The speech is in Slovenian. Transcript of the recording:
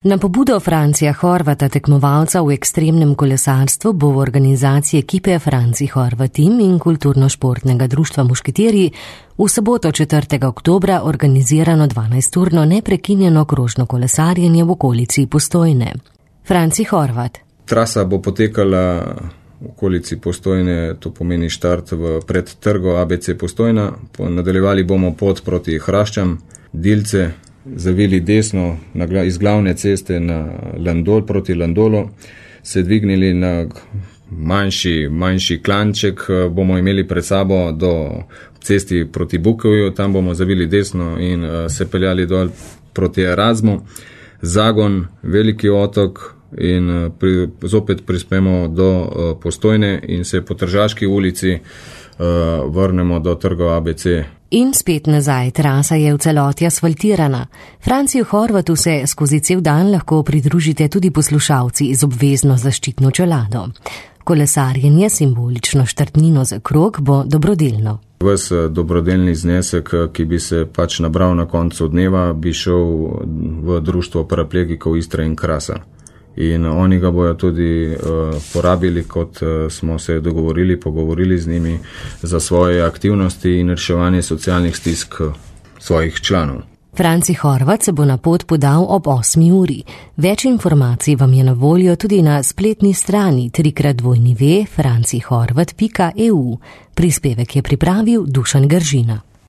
Na pobudo Francija Horvata, tekmovalca v ekstremnem kolesarstvu, bo v organizaciji ekipe Franci Horvat Team in Kulturno-športnega društva Mušketeri v soboto 4. oktobra organizirano 12-urno neprekinjeno krožno kolesarjenje v okolici Postojne. Franci Horvat. Trasa bo potekala v okolici Postojne, to pomeni štart pred trgo ABC Postojna. Nadaljevali bomo pot proti Hraščam, Dilce, zavili desno iz glavne ceste na Landol proti Landolu, se dvignili na manjši klanček, bomo imeli pred sabo do cesti proti Bukovju, tam bomo zavili desno in se peljali dol proti Erasmu, Zagon, Veliki otok in zopet prispemo do Postojne in se po Tržaški ulici vrnemo do trga ABC. In spet nazaj, trasa je v celoti asfaltirana. Franciju Horvatu se skozi cel dan lahko pridružite tudi poslušalci z obvezno zaščitno čelado. Kolesarjenje, simbolično štartnino za krog, bo dobrodelno. Ves dobrodelni znesek, ki bi se nabral na koncu dneva, bi šel v društvo paraplegikov Istre in Krasa. In oni ga bojo tudi porabili, kot smo se pogovorili z njimi, za svoje aktivnosti in reševanje socialnih stisk svojih članov. Franci Horvat se bo na pot podal ob 8. uri. Več informacij vam je na voljo tudi na spletni strani www.francihorvat.eu. Prispevek je pripravil Dušan Gržina.